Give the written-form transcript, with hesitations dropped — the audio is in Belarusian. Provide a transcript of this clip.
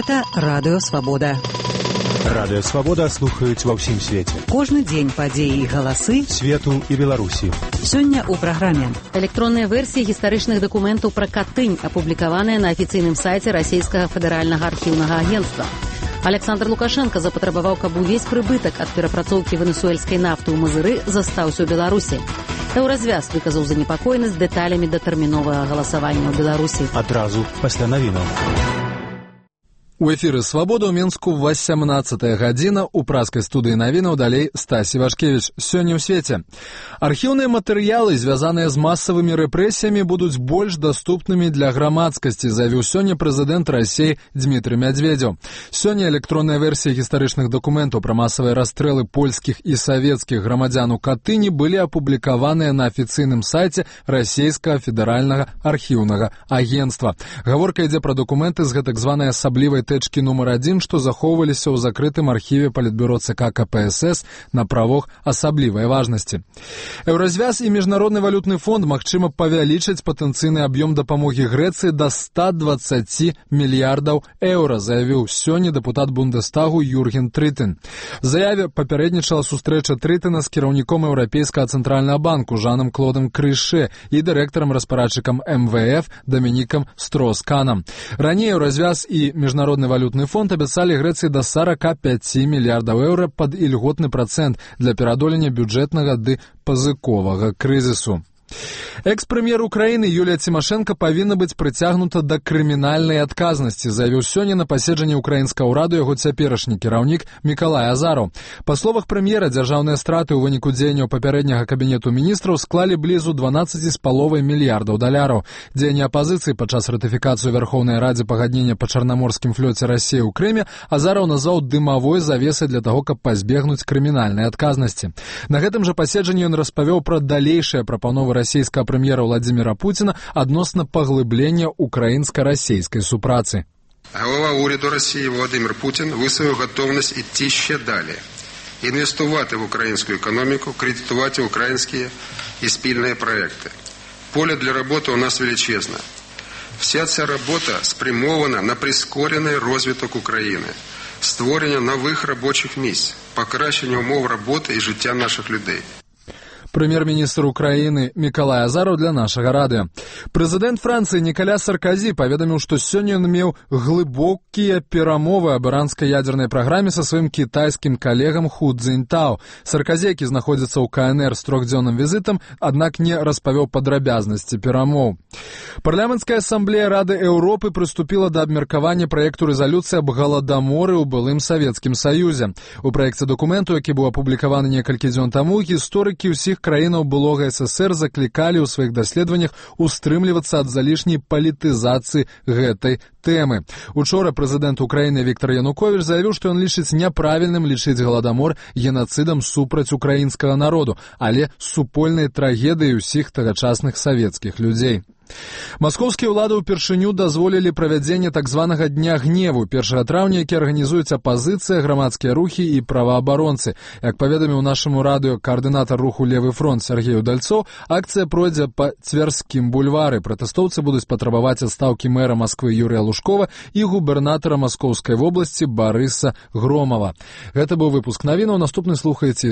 Гэта Радыё Свабода. Радыё Свабода слухаюць ва ўсім свеце. Кожны дзень падзеі і галасы свету і Беларусі. Сёння ў праграме. Электронныя версіі гістарычных дакументаў пра Катынь, апублікаваныя на афіцыйным сайце Расійскага федэральнага архіўнага агенцтва. Александр Лукашенко запатрабаваў, каб увесь прыбытак ад перапрацоўкі венесуэльскай нафты ў Мазыры застаўся ў Беларусі. Еўразвяз выказаў занепакоенасць дэталямі датэрміновага галасавання ў Беларусі. Адразу пасля навінаў. У эфіры «Свабода» ў Мінску 18 гадзіна. У праскай студыі навінаў далей Стасі Вашкевіч. Сёння ў свеце. Архіўныя матэрыялы, звязаныя з масавымі рэпрэсіямі, будуць больш даступнымі для грамадскасці, заявіў сёння прэзідэнт Расіі Дмітрый Мядзведзеў. Сёння электронная версія гістарычных дакументаў пра масавыя расстрэлы польскіх і савецкіх грамадзян у Катыні былі апублікаваныя на афіцыйным сайце Расійскага федэральнага архіўнага агенцтва. Гаворка ідзе пра дакументы з гэтак званай асаблівай тэчкі нумар 1, што захоўваліся ў закрытым архіве Палітбюро ЦК КПСС на правах асаблівай важнасці. Еўразвяз і Міжнародны валютны фонд магчыма павялічыць патэнцыйны аб'ём дапамогі Грэцыі да 120 мільярдаў еўра, заявіў сёння дэпутат Бундестагу Юрген Трытен. В заяве папярэднічала сустрэча Трытена з кіраўніком Еўрапейскага цэнтральнага банку Жанам Клодам Крыше і дырэктарам-распарадчыкам МВФ Дамінікам Строс-Канам. Раней Еўразвяз і Міжнародны валютны фонд абяцалі Грэцыі да 45 мільярдаў еўра пад ільготны працэнт для пераадолення бюджэтнага ды пазыковага крызісу. Экс-прэм'ер Украіны Юлія Цімашэнка павінна быць прыцягнута да крымінальнай адказнасці, заявіў сёння на паседжанні ўкраінскага ўраду яго цяперашні кіраўнік Мікалай Азараў. Па словах прэм'ера, дзяржаўныя страты ў выніку дзеянняў папярэдняга кабінету міністраў склалі блізу 12,5 мільярдаў даляраў. Дзеянні апазіцыі падчас ратыфікацыі ў Вярхоўнай радзе пагаднення па чарнаморскім флёце Расіі ў Крыме Азараў назваў дымавой завесай для таго, каб пазбегнуць крымінальнай адказнасці. На гэтым жа паседжанні ён распавёў пра далейшыя прапановы расійскага прэм'ера Владзіміра Пуціна адносна паглыблення украінска-расійскай супрацы. Голова уряду Росії Володимир Путін висловив готовність йти ще далі, інвестувати в українську економіку, кредитувати українські і спільні проекти. Поле для роботи у нас величезне. Вся ця робота спрямована на прискорений розвиток України, створення нових робочих місць, покращення умов роботи і життя наших людей. Прэм'ер-міністр Украіны Мікалай Азараў для нашага радыё. Прэзідэнт Францыі Нікаля Сарказі паведаміў, што сёння ён меў глыбокія перамовы аб іранскай ядзернай праграме са сваім кітайскім калегам Ху Цзіньтао. Сарказі, які знаходзіцца ў КНР з трохдзённым візітам, аднак не распавёў падрабязнасці перамоў. Парламенцкая асамблея Рады Еўропы прыступіла да абмеркавання праекту рэзалюцыі аб галадаморы ў былым Савецкім Саюзе. У праекце дакументу, які быў апублікаваны некалькі дзён таму, гісторыкі ўсіх краінаў былога СССР заклікалі ў сваіх даследаваннях устрымлівацца ад залішняй палітызацыі гэтай тэмы. Учора прэзідэнт Украіны Віктор Януковіч заявіў, што ён лічыць няправільным лічыць галадамор генацыдам супраць украінскага народу, але супольнай трагедыяй усіх тагачасных савецкіх людзей. Маскоўскія ўлады ўпершыню дазволілі правядзенне так званага Дня гневу 1 траўня, які арганізуюць апазіцыя, грамадскія рухі і праваабаронцы. Як паведаміў нашаму радыё каардынатар руху «Левы фронт» Сергей Удальцоў, акцыя пройдзе па Цвярскім бульвары. Пратэстоўцы будуць патрабаваць адстаўкі мэра Масквы Юрыя Лужкова і губернатара Маскоўскай вобласці Барыса Громава. Гэта быў выпуск навінаў. Наступны слухаеце